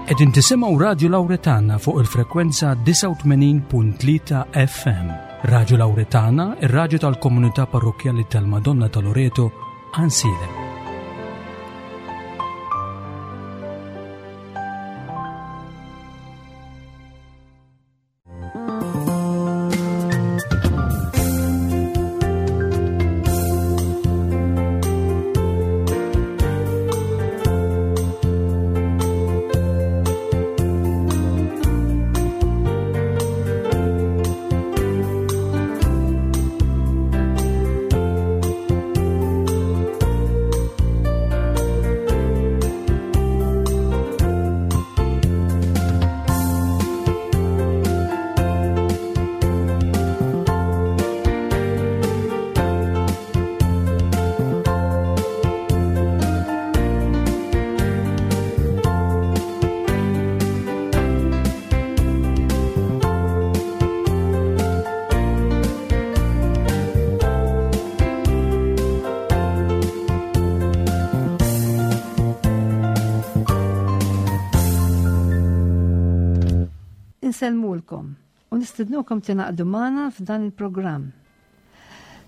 Qegħdin tisimgħu Radju Lawretana fuq il-frekwenza 89.3 FM. Radju Lawretana, ir-radju tal-komunità parrokkjali tal-Madonna ta' Loreto, Ansilem. Insellmulkom u nistednukom tingħaqdu magħna f'dan il-programm.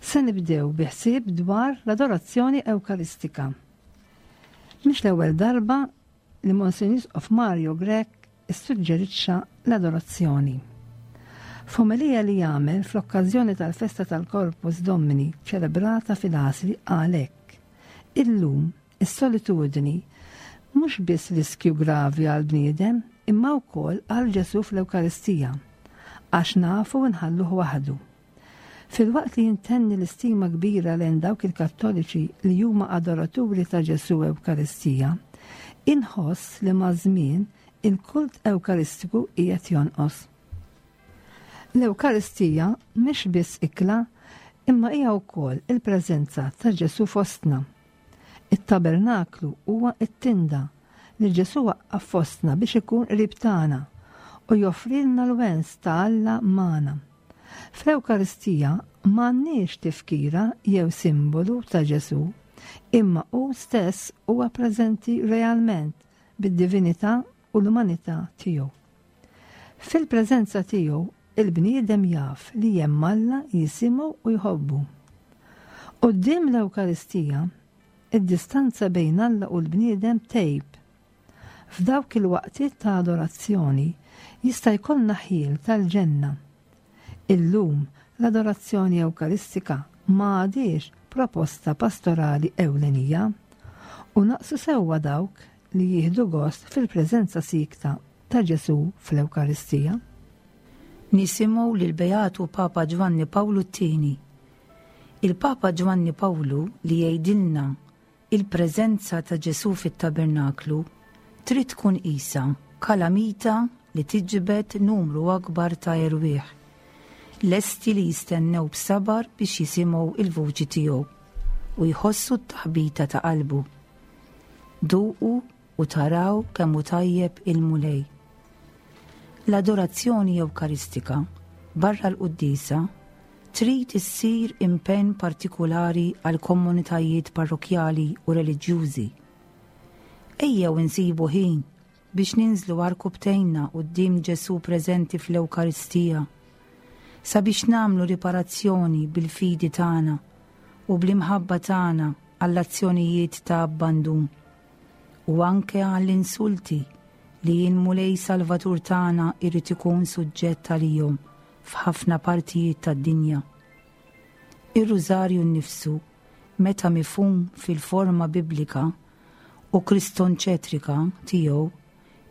Se nibdew bi ħsieb dwar l-adorazzjoni Ewkaristika. Mhix l-ewwel darba li Monsinjur Isqof Mario Grech issuġġerixxa l-adorazzjoni. F'omelija li għamel fl-okkażjoni tal-festa tal-Corpus Domini ċelebrata fil-Għasri qal hekk, Illum, is-solitudni mhux biss riskju gravi għall-bniedem imma wkoll għal Ġesù fl-Ewkaristija, għax nafu nħalluh waħdu. Filwaqt li intenni l-istima kbira lejn dawk il-Kattoliċi li huma adoraturi ta' Ġesù Ewkaristija, inħoss li maż-żmien il-kult Ewkaristiku qiegħed jonqos. L-Ewkaristija mhix biss ikla imma hija wkoll il-preżenza ta' Ġesù fostna. It-tabernaklu huwa t-tinda li Ġesù waqqaf fostna biex ikun qrib tagħna u joffrilna l-wens ta' Alla magħna. Fl-Ewkaristija m'għandniex tifkira jew simbolu ta' Ġesù, imma hu stess huwa preżenti realment bid-divinità u l-umanità tiegħu. Fil-preżenza tiegħu, il-bniedem jaf li hemm Alla jisimgħu u jħobbu. Quddiem l-Ewkaristija, id-distanza bejn Alla u l-bniedem tgħib. F'dawk il-waqtiet ta' adorazzjoni jista' jkollna ħjiel tal-ġenna. Illum, l-adorazzjoni Ewkaristika ma għadhiex proposta pastorali ewlenija, u naqsu sewwa dawk li jieħdu gost fil-preżenza siekta ta' Ġesù fl-Ewkaristija. Nisimgħu lill-Beatu Papa Ġwanni Pawlu t-Tieni. Il-Papa Ġwanni Pawlu li jgħidilna Il-preżenza ta' Ġesù fit-tabernaklu trid tkun qisha kalamita li tiġbed numru akbar ta' erwieħ, lesti li jistennew b'sabar biex jisimgħu l-vuċi tiegħu u jħossu t-taħbita ta' qalbu. Duqu u taraw kemm hu tajjeb il-Mulej. L-adorazzjoni Ewkaristika, barra l-quddiesa, trid issir impenn partikulari għall-komunitajiet parrokkjali u reliġjużi. Ejjew insibu ħin biex ninżlu għarkupptejna quddiem Ġesù preżenti fl-Ewkaristija, sabiex nagħmlu riparazzjoni bil-fidi tagħna u bl-imħabba tagħna għall-azzjonijiet ta' abbandun u anke għall-insulti li l-Mulej Salvatur tagħna jrid ikun suġġett għalihom f'ħafna partijiet tad-dinja. Ir-Rużarju nnifsu, meta mifhum fil-forma biblika u kristonċetrika tiegħu,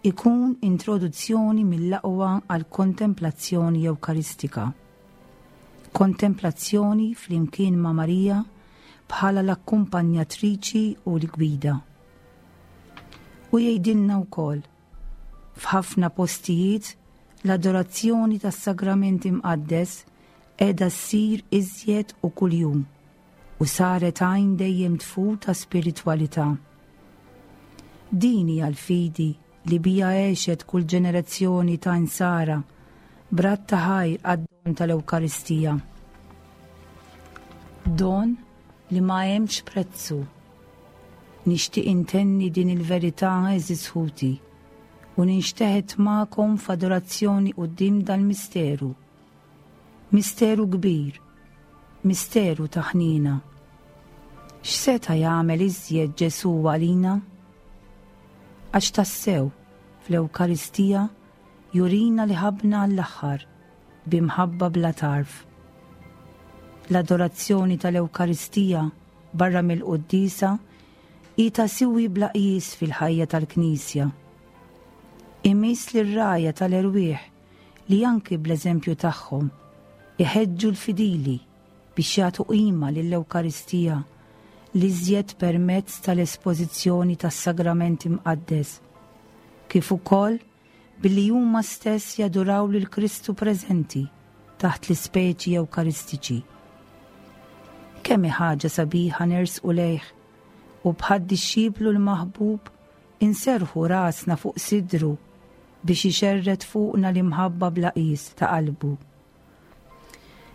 ikun introduzzjoni mill-aqwa għall-kontemplazzjoni Ewkaristika. Kontemplazzjoni flimkien ma' Marija bħala l-akkumpanjatriċi u l-gwida. U jgħidilna wkoll, f'ħafna postijiet l-adorazzjoni tas-Sagrament Imqaddes qiegħda ssir iżjed u kuljum u saret għajn dejjem tfur ta' spiritwalità. Din hija l-fidi li biha għexet kull ġenerazzjoni ta' insara b'radd ta' ħajr għad-don tal-Ewkaristija. Don li ma hemmx prezzu. Nixtieq intenni din il-verità għeżież ħuti. u ninxteħet magħkom f'adorazzjoni quddiem dal-misteru. Misteru kbir, misteru ta' ħniena. X'seta' jagħmel iżjed Ġesù għalina? Għax tassew, fl-Ewkaristija jurina li ħabbna għall-aħħar bi mħabba bla tarf. L-adorazzjoni tal-Ewkaristija barra mill-quddiesa hi ta' siwi bla qjies fil-ħajja tal-Knisja. Imiss lir-rgħajja tal-erwieħ li anki bl-eżempju tagħhom iħeġġu l-fidili biex jagħtu qima lill-Ewkaristija l-iżjed permezz tal-espożizzjoni tas-Sagrament Imqaddes, kif ukoll billi huma stess jaduraw lil Kristu preżenti taħt l-ispeċi Ewkaristiċi. Kemm hi ħaġa sabiħa nersqu lejh u bħad-dixxiplu l-maħbub inserrħu rasna fuq sidru biex ixerred fuqna l-imħabba bla qies ta' qalbu.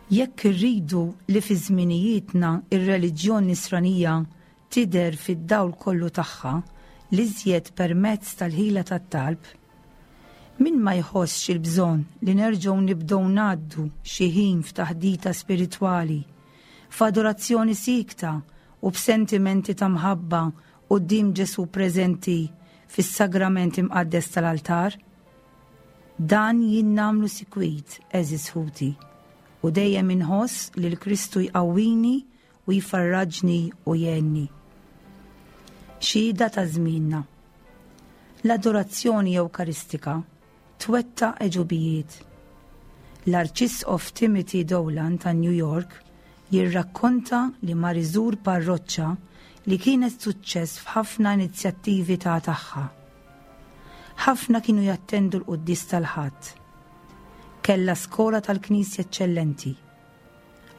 Jekk irridu li fi żminijietna r-reliġjon Nisranija tidher fid-dawl kollu tagħha, l-iżjed permezz tal-ħila tat-talb, min ma jħossx il-bżonn li nerġgħu nibdew ngħaddu xi ħin f'taħdita spiritwali, f'adorazzjoni siekta u b'sentimenti ta' mħabba quddiem Ġesù preżenti fis-Sagrament Imqaddes tal-altar? Dan jien nagħmlu sikwit, għeżież ħuti, u dejjem inħoss li l-Kristu jqawwini u jfarraġni u jgħinni. Xhieda ta' żmienna. L-adorazzjoni Ewkaristika twettaq għeġubijiet. L-Arċisqof Timothy Dolan ta' New York jirrakkonta li mar iżur parroċċa li kienet suċċess f'ħafna inizjattivi ta' tagħha. Ħafna kienu jattendu l-quddies tal-Ħadd. Kellha skola tal-Knisja eċċellenti.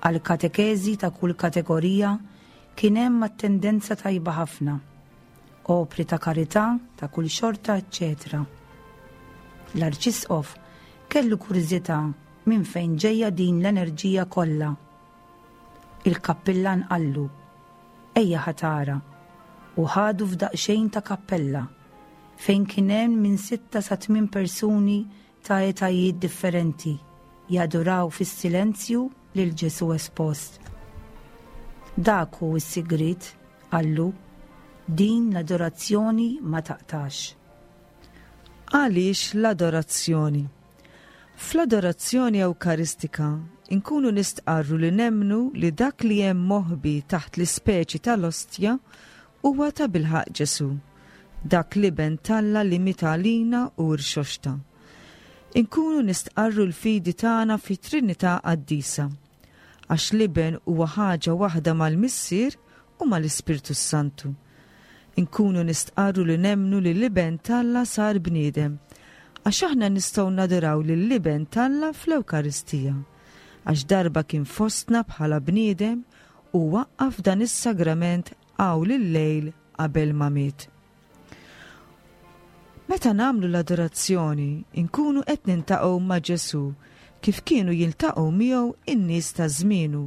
Għal katekeżi ta' kull kategorija kien hemm attendenza tajba ħafna. Opri ta' karità ta' kull xorta, eċċetera. L-Arċisqof kellu kurżità minn fejn ġejja din l-enerġija kollha. Il-kappillan qallu, Ejja ħa tara, u ħadu f'daqsxejn ta' kappella fejn kien hemm minn sitta sa tmien persuni ta' etajiet differenti jaduraw fis-silenzju lil Ġesù espost. Dak hu s-sigriet, qallu, din l-adorazzjoni ma taqtax. Għaliex l-adorazzjoni? Fl-adorazzjoni Ewkaristika nkunu nistqarru li nemmnu li dak li hemm moħbi taħt l-ispeċi tal-ostja huwa tabilħaqq Ġesù, dak l-Iben t'Alla li miet għalina u rxoxta. Inkunu nistqarru l-fidi tagħna fit-Trinità Qaddisa, għax l-Iben huwa ħaġa waħda mal-Missier u mal-Ispirtu s-Santu. Inkunu nistqarru li nemmnu li l-Iben t'Alla sar bniedem, għax aħna nistgħu naduraw lill-Iben t'Alla fl-Ewkaristija, għax darba kien fostna bħala bniedem u waqqaf dan is-sagrament hawn il-lejl qabel ma miet. Meta nagħmlu l-adorazzjoni, inkunu qed nintaqgħu ma' Ġesù kif kienu jiltaqgħu miegħu n-nies ta' żmienu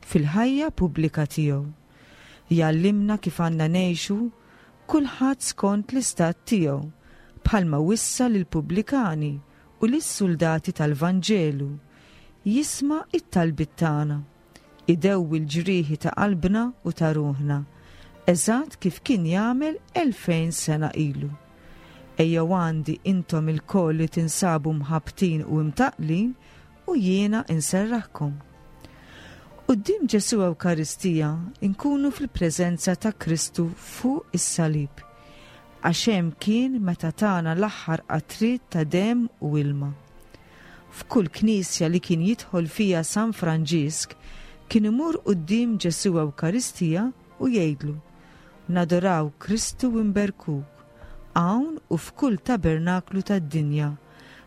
fil-ħajja pubblika tiegħu. Jgħallimna kif għandna ngħixu, kulħadd skont l-istat tiegħu, bħalma wissa lill-pubblikani u lis-suldati tal-Vanġelu. Jisma' t-talbiet tagħna. Idewwi l-ġrieħi ta' qalbna u ta' ruħna, eżatt kif kien jagħmel 2000 sena ilu. Ejjew għandi intom ilkoll li tinsabu mħabbtin u imtaqqlin u jiena inserraħkom. Quddiem Ġesù Ewkaristija nkunu fil-preżenza ta' Kristu fuq is-salib, għax hemm kien meta tana l-aħħar qatriet ta' demm u ilma. F'kull knisja li kien jidħol fiha San Franġisk kien imur quddiem Ġesù Ewkaristija u jgħidlu, Nadoraw Kristu u nberkuk, hawn u f'kull tabernaklu tad-dinja,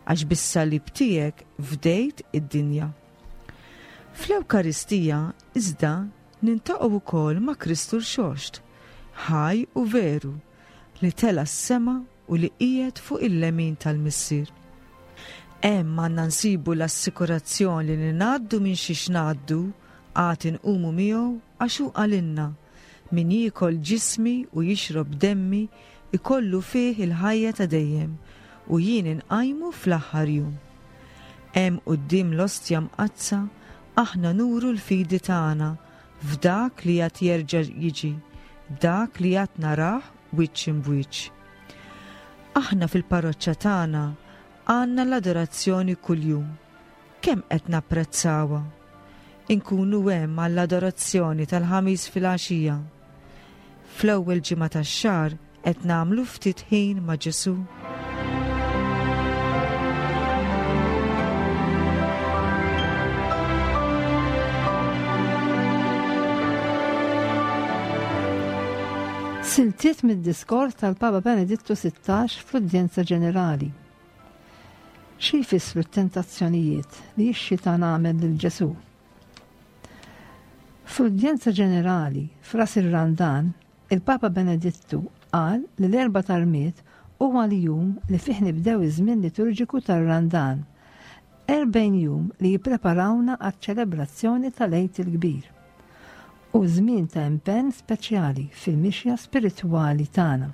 għax bis-salib tiegħek fdejt id-dinja. Fl-Ewkaristija, iżda, niltaqgħu wkoll ma' Kristu Rxoxt, ħaj u veru, li tela' s-sema u li qiegħed fuq il-lemin tal-Missier. Hemm għandna nsibu l-assikurazzjoni li ngħaddu minn xiex ngħaddu għad inqumu miegħu għax hu qalilna, Min jiekol ġismi u jixrob demmi jkollu fih il-ħajja ta' dejjem, u jien inqajmu fl-aħħar jum. Hemm quddiem l-Ostja Mqaddsa aħna nuru l-fidi tagħna f'dak li għad jerġa' jiġi, dak li għad narah wiċċ imb'wiċċ. Aħna fil-parroċċa tagħna għandna l-adorazzjoni kuljum. Kemm qed napprezzawha? Inkunu hemm għall-adorazzjoni tal-Ħamis filgħaxija. Fl-ewwel ġimgħa tax-xahar qed nagħmlu ftit ħin ma' Ġesù. Siltiet mid-diskors tal-Papa Benedittu 16 fl-Udjenza Ġenerali. Xi jfissru t-tentazzjonijiet li x-xitan għamel lil Ġesù? Fl-Udjenza Ġenerali f'Ras ir-Randan, il-Papa Benedittu qal li l-Erbgħa tar-Rmied huwa l-jum li fih nibdew iż-żmien liturġiku tar-Randan, 40 jum li jippreparawna għaċ-ċelebrazzjoni tal-Għid il-Kbir. Hu żmien ta' impenn speċjali fil-mixja spiritwali tagħna.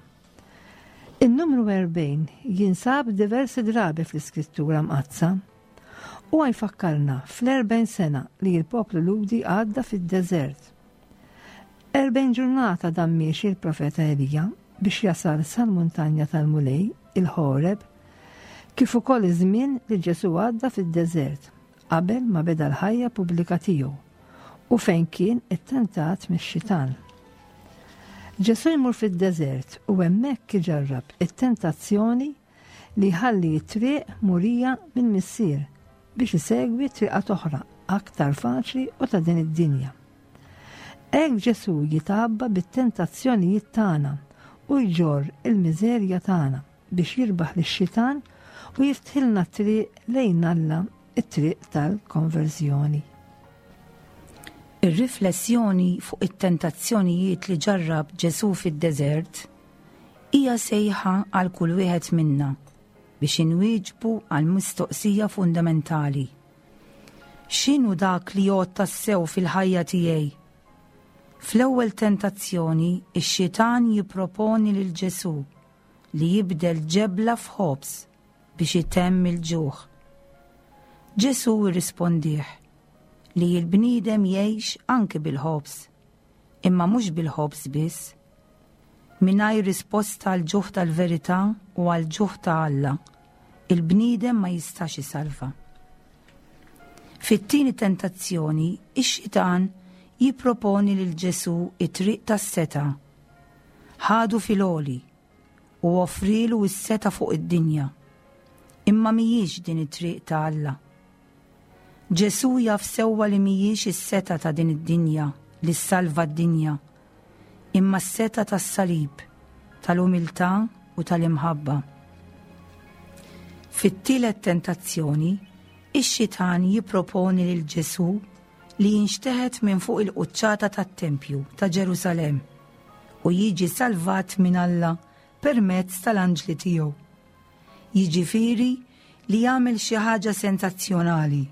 In-numru 40 jinsab diversi drabi fl-Iskrittura Mqaddsa. Huwa jfakkarna fl-40 sena li l-poplu Lhudi għadda fid-deżert. 40 ġurnata dam miexi l-profeta Elija biex jasal sal-muntanja tal-Mulej, il-Ħoreb, kif ukoll iż-żmien li Ġesù għadda fid-deżert qabel ma beda l-ħajja pubblika tiegħu u fejn kien ittentat mix-xitan. Ġesù jmur fid-deżert u hemmhekk iġarrab it-tentazzjoni li jħalli t-triq murija mill-Missier biex isegwi triqat oħra aktar faċli u ta' din id-dinja. Hekk Ġesù jitgħabba bit-tentazzjonijiet tagħna u jġorr il-miżerja tagħna biex jirbaħ lix-xitan u jiftħilna t-triq lejn Alla, it-triq tal-konverżjoni. Ir-riflessjoni fuq it-tentazzjonijiet li ġarrab Ġesù fid-deżert hija sejħa għal kull wieħed minna biex inwieġbu għal mistoqsija fundamentali. X'inhu dak li jgħodd tassew fil-ħajja tiegħi? Fl-ewwel tentazzjoni, ix-xitan jipproponi lil Ġesù li jibdel ġebla f'ħobż biex itemm il-ġuħ. Ġesù rrispondih li l-bniedem jgħix anki bil-ħobż, imma mhux bil-ħobż biss. Mingħajr risposta għall-ġuħ tal-verità u għall-ġuħ ta' Alla, il-bniedem ma jistax isalva. Fit-tieni tentazzjoni, ix-xitan jipproponi lil Ġesù it-triq tas-setgħa. Ħadu fil-għoli u offrielu s-setgħa fuq id-dinja. Imma mhijiex din it-triq ta' Alla. Ġesù jaf sewwa li mhijiex is-setgħa ta' din id-dinja li ssalva d-dinja, imma s-setgħa tas-salib, tal-umiltà u tal-imħabba. Fit-tielet tentazzjoni, ix-xitan jipproponi lil Ġesù li jinxteħet minn fuq il-quċċata tat-tempju ta' Ġerusalemm u jiġi salvat minn Alla permezz tal-anġli tiegħu. Jiġifieri li jagħmel xi ħaġa sensazzjonali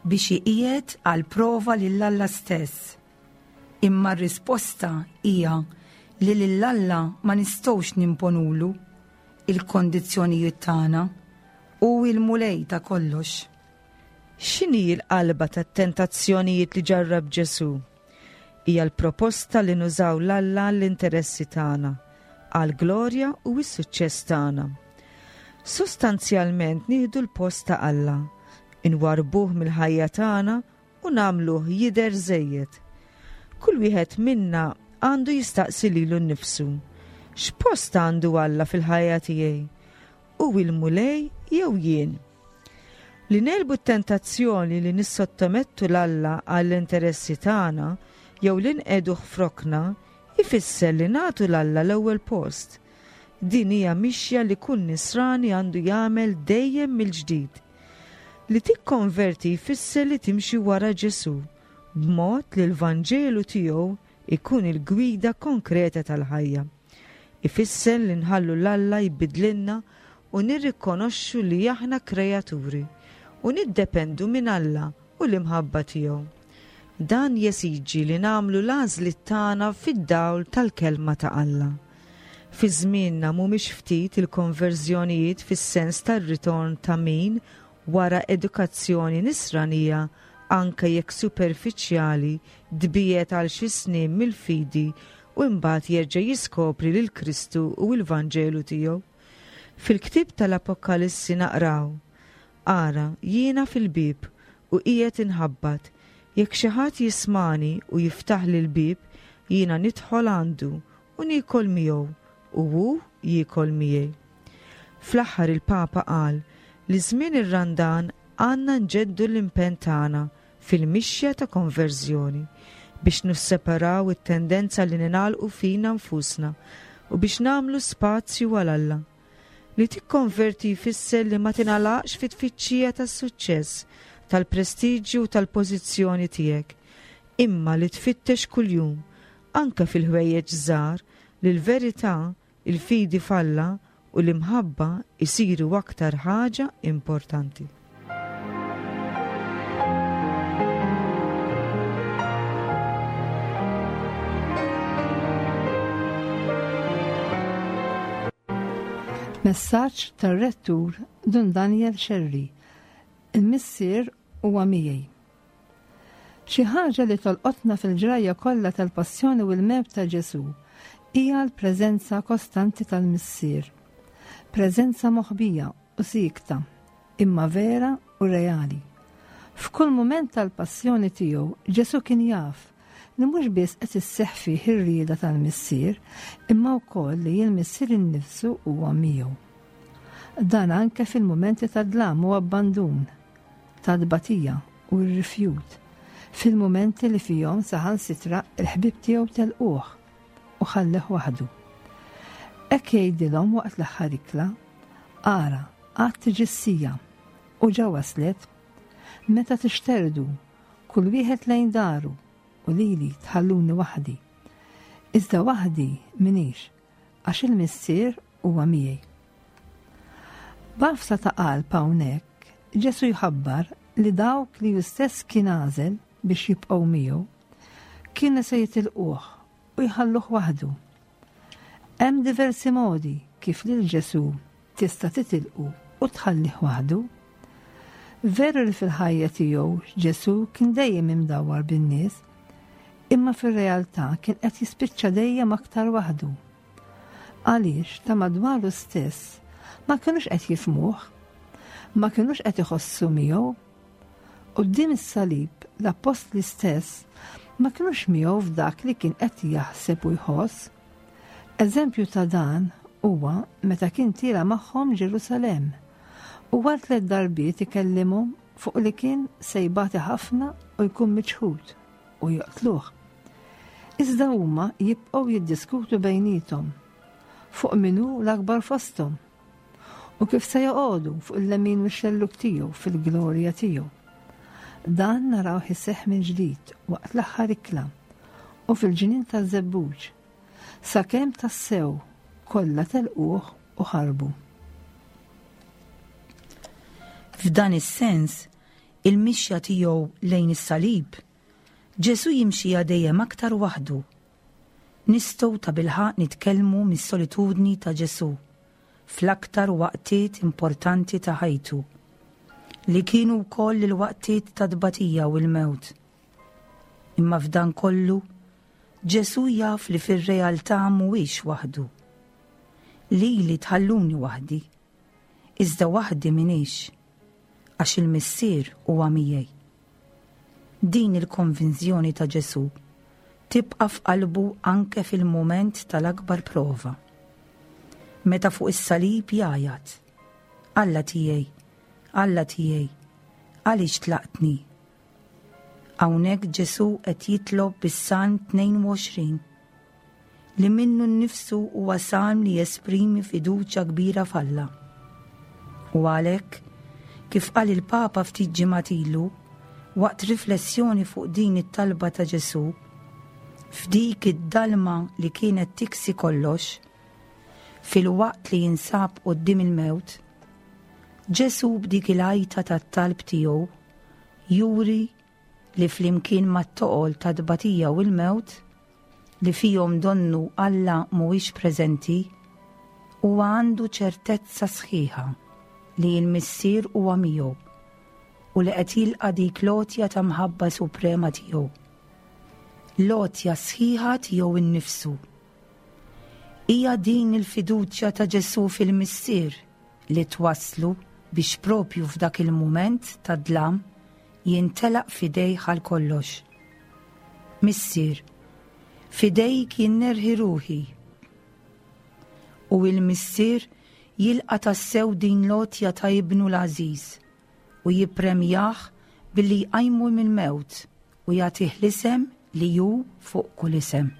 biex iqiegħed għal prova lil Alla stess. Imma r-risposta hija li lil Alla ma nistgħux nimponulu il-kondizzjonijiet tagħna. Hu l-Mulej ta' kollox. X'inhi l-qalba tat-tentazzjonijiet li ġarrab Ġesù? Hija l-proposta li nużaw 'l Alla għall-interessi tagħna, għall-glorja u s-suċċess tagħna. Sostanzjalment nieħdu l-post ta' Alla, inwarrbuh mill-ħajja tagħna u nagħmluh jidher żejjed. Kull wieħed minna għandu jistaqsi lilu nnifsu, X'post għandu Alla fil-ħajja tiegħi? Hu l-Mulej jew jien? Li negħlbu t-tentazzjoni li nissottomettu 'l Alla għall-interessi tagħna jew li nqiegħduh f'rokna jfisser li nagħtu 'l Alla l-ewwel post. Din hija mixja li kull Nisrani għandu jagħmel dejjem mill-ġdid. Li tikkonverti jfisser li timxi wara Ġesù, b'mod li l-Vanġelu tiegħu jkun il-gwida konkreta tal-ħajja. Ifisser li nħallu 'l Alla jbiddlilna u nirrikonoxxu li aħna kreaturi u niddependu minn Alla u l-imħabba tiegħu. Dan jesiġi li nagħmlu l-għażliet tagħna fid-dawl tal-Kelma ta' Alla. Fi żmienna mhumiex ftit il-konverżjonijiet fis-sens tar-ritorn ta' min, wara edukazzjoni nisranija anke jekk superfiċjali, tbiegħed għal xi snin mill-fidi u imbagħad jerġa' jiskopri lil Kristu u l-Vanġelu tiegħu. Fil-ktieb tal-Apokalissi naqraw, Ara, jiena fil-bieb u qiegħed inħabbat, jekk xi ħadd jismagħni u jiftaħli l-bieb, jiena nidħol għandu u niekol miegħu u hu jiekol miegħi. Fl-aħħar il-Papa qal li żmien ir-Randan għandna nġeddu l-impenn tagħna fil-mixja ta' konverżjoni biex nisseparaw it-tendenza li ningħalqu fina nfusna u biex nagħmlu spazju għal Alla. Li tikkonverti jfisser li ma tingħalaqx fit-tfittxija tas-suċċess, tal-prestiġju u tal-pożizzjoni tiegħek, imma li tfittex kuljum, anke fil-ħwejjeġ żgħar, li l-verità, il-fidi f'Alla u l-imħabba jsiru aktar ħaġa importanti. Messaġġ tar-Rettur Dun Daniel Scerri, Il-Missier huwa miegħi. Xi ħaġa li tolqotna fil-ġrajja kollha tal-passjoni u l-mewt ta' Ġesù hija l-preżenza kostanti tal-Missier. Preżenza moħbija u siekta, imma vera u reali. F'kull mument tal-passjoni tiegħu, Ġesù kien jaf li mhux biss qed isseħħ fih ir-rieda tal-Missier, imma wkoll li l-Missier innifsu huwa miegħu. Dan anke fil-mumenti ta' dlam u abbandun, ta' tbatija u r-rifjut, fil-mumenti li fihom saħansitra l-ħbieb tiegħu telquh u ħalleh waħdu. Hekk jgħidilhom waqt l-aħħar ikla, Ara, għad tiġi s-siegħa, u ġa waslet, meta tixterdu, kull wieħed lejn daru, u lili tħalluni waħdi. Iżda waħdi m'iniex, għax il-Missier huwa miegħi. B'għafsa ta' qalb hawnhekk, Ġesù jħabbar li dawk li hu stess kien għażel biex jibqgħu miegħu, kienu se jitilquh u jħalluh waħdu. Hemm diversi modi kif lil Ġesù tista' titilqu u tħallih waħdu. Veru li fil-ħajja tiegħu Ġesù kien dejjem imdawwar bin-nies, imma fir-realtà kien qed jispiċċa dejjem aktar waħdu. Għaliex ta' madwaru stess ma kinux qed jifhmuh, ma kinux qed iħossu miegħu. Quddiem is-salib l-appostli stess ma kinux miegħu f'dak li kien qed jaħseb u jħoss. Eżempju ta' dan huwa meta kien tiela' magħhom Ġerusalemm u għal tlett darbiet ikellimhom fuq li kien se jbati ħafna u jkun miċħud u joqtluh. Iżda huma jibqgħu jiddiskutu bejniethom fuq min hu l-akbar fosthom u kif se joqogħdu fuq il-lemin u x-xellug tiegħu fil-glorja tiegħu. Dan narawh iseħħ minn ġdid waqt l-aħħar ikla u fil-ġnien taż-żebbuġ, sakemm tassew kollha telquh u ħarbu. F'dan is-sens, il-mixja tiegħu lejn is-salib Ġesù jimxiha dejjem aktar waħdu. Nistgħu tabilħaqq nitkellmu mis-solitudni ta' Ġesù fl-aktar waqtiet importanti ta' ħajtu, li kienu wkoll il-waqtiet ta' tbatija u l-mewt. Imma f'dan kollu, Ġesù jaf li fir-realtà mhuwiex waħdu. Lili tħalluni waħdi, iżda waħdi m'iniex, għax il-Missier huwa miegħi. Din il-konvinzjoni ta' Ġesù tibqa' f'qalbu anke fil-mument tal-akbar prova. Meta fuq is-salib jgħajat, Alla tiegħi, Alla tiegħi, għaliex tlaqtni? Hawnhekk Ġesù qed jitlob bis-Salm 22, li minnu nnifsu huwa salm li jesprimi fiduċja kbira f'Alla. U għalhekk, kif qal il-Papa ftit ġimgħat ilu, waqt riflessjoni fuq din it-talba ta' Ġesù, f'dik id-dalma li kienet tiksi kollox, filwaqt li jinsab quddiem il-mewt, Ġesù b'dik il-għajta tat-talb tiegħu juri li flimkien mat-toqol tat-tbatija u l-mewt, li fihom donnu Alla mhuwiex preżenti. Huwa għandu ċertezza sħiħa li l-Missier huwa miegħu u li qed jilqa' dik l-għotja ta' mħabba suprema tiegħu. L-għotja sħiħa tiegħu nnifsu. Hija din il-fiduċja ta' Ġesù fil-Missier li twasslu biex propju f'dak il-mument ta' dlam jintelaq f'idejh għal kollox. Missier, f'idejk jien nerħi ruħi. U il-Missier jilqa' tassew din l-għotja ta' ibnu l-għażiż u jippremjah billi jqajmu mill-mewt u jagħtih l-isem li hu fuq kull isem.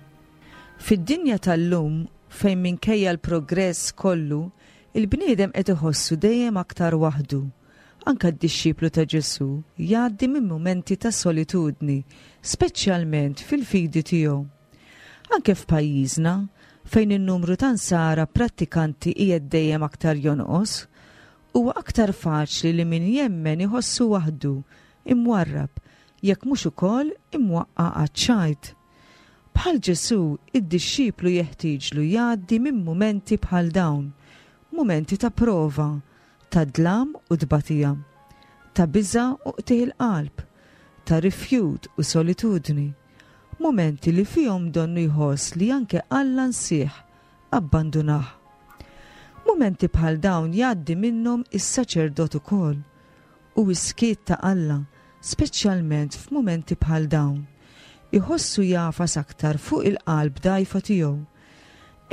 Fid-dinja tal-lum fejn minkejja l-progress kollu, il-bniedem qed iħossu dejjem aktar waħdu, anke d-dixxiplu ta' Ġesù jgħaddi minn mumenti ta' solitudni, speċjalment fil-fidi tiegħu. Anke f'pajjiżna, fejn in-numru ta' Nsara prattikanti qiegħed dejjem aktar jonqos, huwa aktar faċli li min jemmen iħossu waħdu, imwarrab, jekk mhux ukoll imwaqqa' għaċ-ċajt. Bħal Ġesù, id-dixxiplu jeħtieġlu jgħaddi minn mumenti bħal dawn, mumenti ta' prova, ta' dlam u tbatija, ta' biża' u qtigħ il-qalb, ta' rifjut u solitudni, mumenti li fihom donnu jħoss li anke Alla nsieh, abbandunah. Mumenti bħal dawn jgħaddi minnhom is-saċerdot ukoll, u s-skiet ta' Alla, speċjalment f'mumenti bħal dawn, iħossu jagħfas aktar fuq il-qalb dgħajfa tiegħu.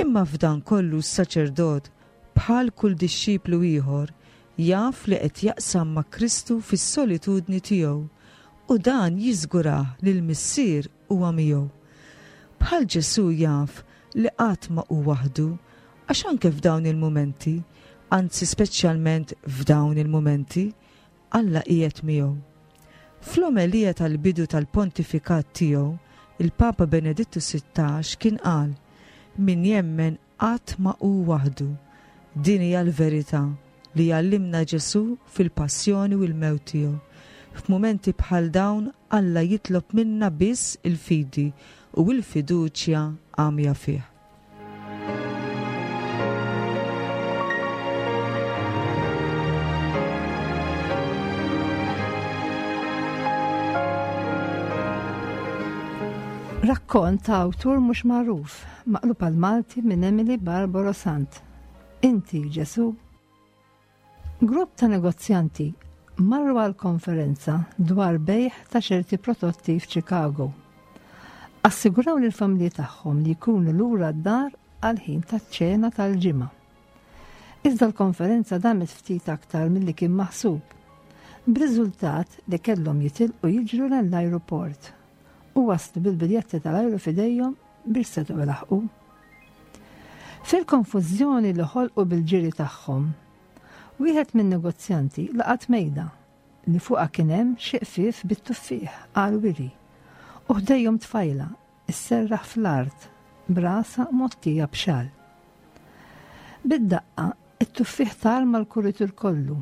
Imma f'dan kollu s-saċerdot, bħal kull dixxiplu ieħor, jaf li qed jaqsam ma' Kristu fis-solitudni tiegħu u dan jiżgurah li l-Missier huwa miegħu. Bħal Ġesù jaf li qatt ma hu waħdu għax anke f'dawn il-mumenti, anzi speċjalment f'dawn il-mumenti, Alla qiegħed miegħu. Fl-omelija tal-bidu tal-pontifikat tiegħu, il-Papa Benedittu 16 kien qal, Min jemmen qatt ma hu waħdu. Din hija l-verità li jgħallimna Ġesù fil-passjoni u l-mewt tiegħu. F'mumenti bħal dawn Alla jitlob minna biss il-fidi u l-fiduċja għamja fih. Rakkont ta' awtur mhux magħruf, maqlub għal Malti minn Emily Barbaro Sant. Inti, Ġesu? Grupp ta' negozjanti marru għal konferenza dwar bejħ ta' ċerti prodotti f'Chicago. Assiguraw lill familji tagħhom li jkunu lura d-dar għal ħin taċ-ċena tal-ġimgħa. Iżda l-konferenza damet ftit aktar milli kien maħsub, b'riżultat li kellhom jitilqu jiġru lejn l-ajruport u waslu bil-biljetti tal-ajru f'idejhom biex setgħu ilaħħqu. Fil-konfużjoni li ħolqu bil-ġiri tagħhom, wieħed min-negozjanti laqat mejda li fuqha kien hemm xi qfief bit-tuffieħ għall-wiri u ħdejhom tfajla sserraħ fl-art b'rasha mgħottija b'xall. Bid-daqqa, it-tuffieħ tar mal-kuritur kollu.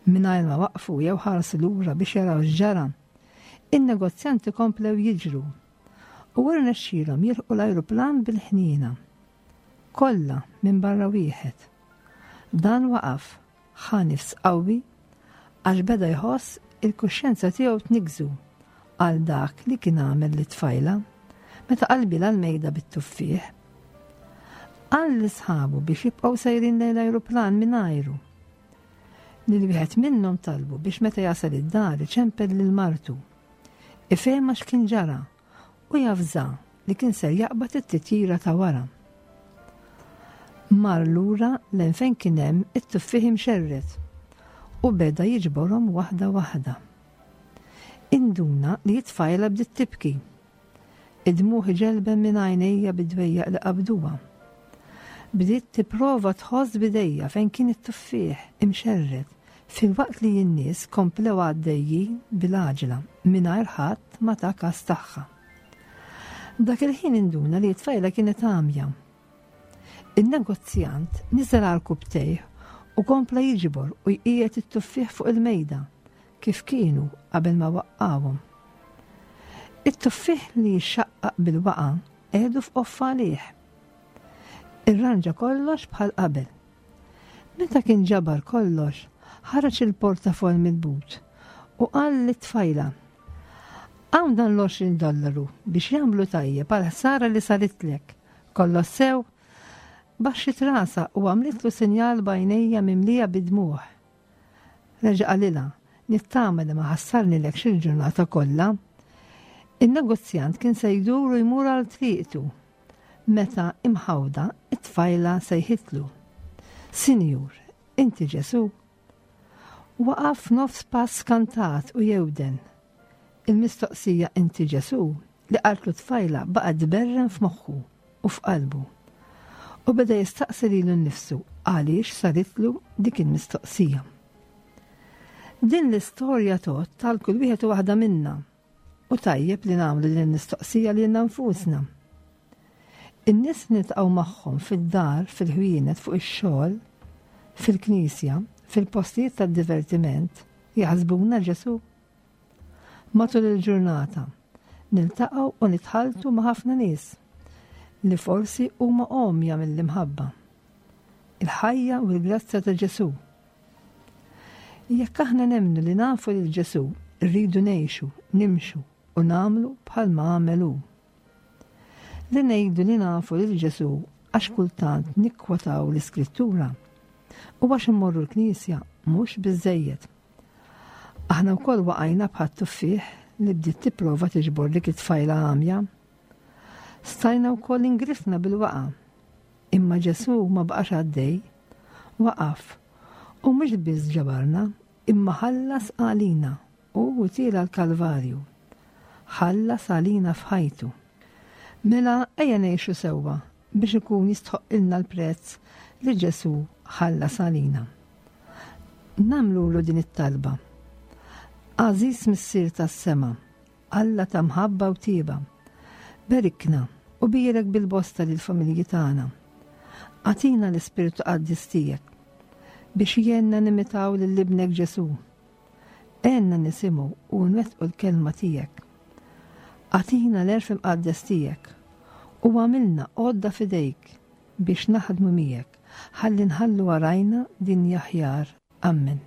Mingħajr ma waqfu jew ħarsu lura biex jaraw x'ġara, in-negozjanti komplew jiġru u rnexxielhom jilħqu l-ajruplan bil-ħniena. Kollha minbarra wieħed. Dan waqaf Ħa nifs qawwi għax beda jħoss il-kuxjenza tiegħu tniggżu għal dak li kien għamel lit-tfajla meta qalbilha l-mejda bit-tuffieħ. Qal lil sħabu biex jibqgħu sejrin lejn l-ajruplan mingħajru. Lil wieħed minnhom talbu biex meta jasal id-dar iċempel lil martu. Ifehma x'kien ġara u javża li kien ser jaqbad it-titjira ta' wara. Mar lura lejn fejn kien hemm it-tuffieħ imxerred u beda jiġborhom waħda waħda. Induna li t-tfajla bdiet tibki. Id-dmugħ iġelben minn għajnejha bid-dwejjaq li qabduha. Bdiet tipprova tħoss b'idejha fejn kien it-tuffieħ imxerred filwaqt li n-nies komplew għaddejjin bil-għaġla mingħajr ħadd ma ta kas tagħha. Dak il-ħin induna li t-tfajla kienet għamja. In-negozjant niżel għarkupptejh u kompla jiġbor u jqiegħed it-tuffieħ fuq il-mejda kif kienu qabel ma waqqgħuhom. It-tuffieħ li jixxaqqaq bil-waqa' qiegħdu f'qoffa għalih. Irranġa kollox bħal qabel. Meta kien ġabar kollox, ħareġ il-portafoll mill-but u qal lit-tfajla, Hawn dan l-20 dollaru biex jagħmlu tajjeb għal ħsara li saritlek. Kollox sew? Baxxiet rasha u għamlitlu sinjal b'għajnejja mimlija bid-dmugħ. Reġa' qalilha, Nittama li ma ħassarnilekx il-ġurnata kollha. In-negozjant kien se jdur u jmur għal triqtu. Meta imħawda, it-tfajla sejħitlu. Sinjur, inti Ġesù? Waqaf nofs pass skantat u jewden. Il-mistoqsija inti Ġesù li qaltlu t-tfajla baqgħet tberren f'moħħu u f'qalbu. U beda jistaqsi lilu nnifsu għaliex saritlu dik il-mistoqsija. Din l-istorja tgħodd għal kull wieħed u waħda minna u tajjeb li nagħmlu din il-mistoqsija lilna nfusna. In-nies li niltaqgħu magħhom fid-dar, fil-ħwienet, fuq ix-xogħol, fil-knisja, fil-postijiet tad-divertiment, jaħsbuna Ġesù? Matul il-ġurnata, niltaqgħu u nitħalltu ma' ħafna nies li forsi huma għomja mill-imħabba, il-ħajja u l-grazzja ta' Ġesù. Jekk aħna nemmnu li nafu lil Ġesù, rridu ngħixu, nimxu u nagħmlu bħalma għamel hu. Li ngħidu li nafu lil Ġesù għax kultant nikkwotaw l-Iskrittura u għax immorru l-knisja mhux biżżejjed. Aħna wkoll waqajna bħat-tuffieħ li bdiet tipprova tiġbor dik it-tfajla għamja. Stajna wkoll ingrifna bil-waqa. Imma Ġesù ma baqax għaddej. Waqaf. U mhux biss ġabarna, imma ħallas għalina u tiela l-Kalvarju. Ħallas għalina f'ħajtu. Mela ejja ngħixu sewwa biex ikun jistħoqqilna l-prezz li Ġesù ħallas għalina. Nagħmlulu din it-talba. Għażiż Missier tas-sema, Alla ta' mħabba u tieba, berikna u bierek bil-bosta lill-familji tagħna. Agħtina l-Ispirtu Qaddis tiegħek biex jgħinna nimitaw lil Ibnek Ġesù. Għenna nisimgħu u nwettqu l-kelma tiegħek. Agħtina l-għerf imqaddes tiegħek u għamilna għodda f'idejk biex naħdmu miegħek ħalli nħallu warajna dinja aħjar. Ammen.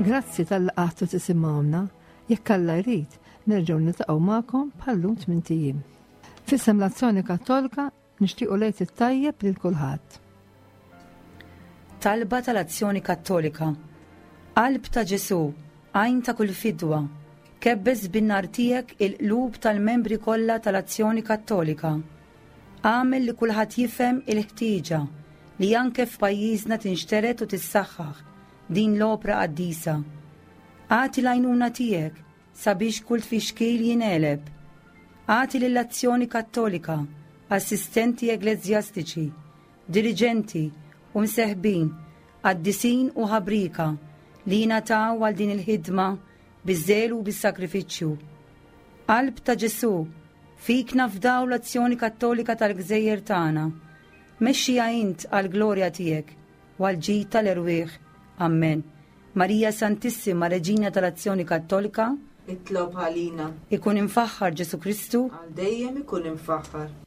Grazzi tal-li qgħadtu tisimgħuna. Jekk Alla jrid, nerġgħu niltaqgħu magħkom bħal-lum tmint ijiem. F'isem l-Azzjoni Kattolika nixtiequ l-Għid it-tajjeb lil kulħadd. Talba tal-Azzjoni Kattolika. Qalb ta' Ġesù, għajn ta' kull fidwa, kebbes bin-nar tiegħek il-qlub tal-membri kollha tal-Azzjoni Kattolika. Agħmel li kulħadd jifhem il-ħtieġa li anke f'pajjiżna tinxtered u tissaħħaħ din l-opra qaddisa. Agħti l-għajnuna tiegħek sabiex kull tfixkil jingħeleb. Agħti lill-Azzjoni Kattolika assistenti eglezjastiċi, diriġenti u mseħbin, qaddisin u ħabrieka li jingħataw għal din il-ħidma biż-żelu u bis-sagrifiċċju. Qalb ta' Ġesù, fik nafdaw l-Azzjoni Kattolika tal-gżejjer tagħna. Mexxiha int għall-glorja tiegħek u għall-ġid tal-erwieħ. Ammen. Marija Santissima, Reġina tal-Azzjoni Kattolika, Itlob għalina. Ikun imfaħħar Ġesù Kristu. Għal dejjem ikun imfaħħar.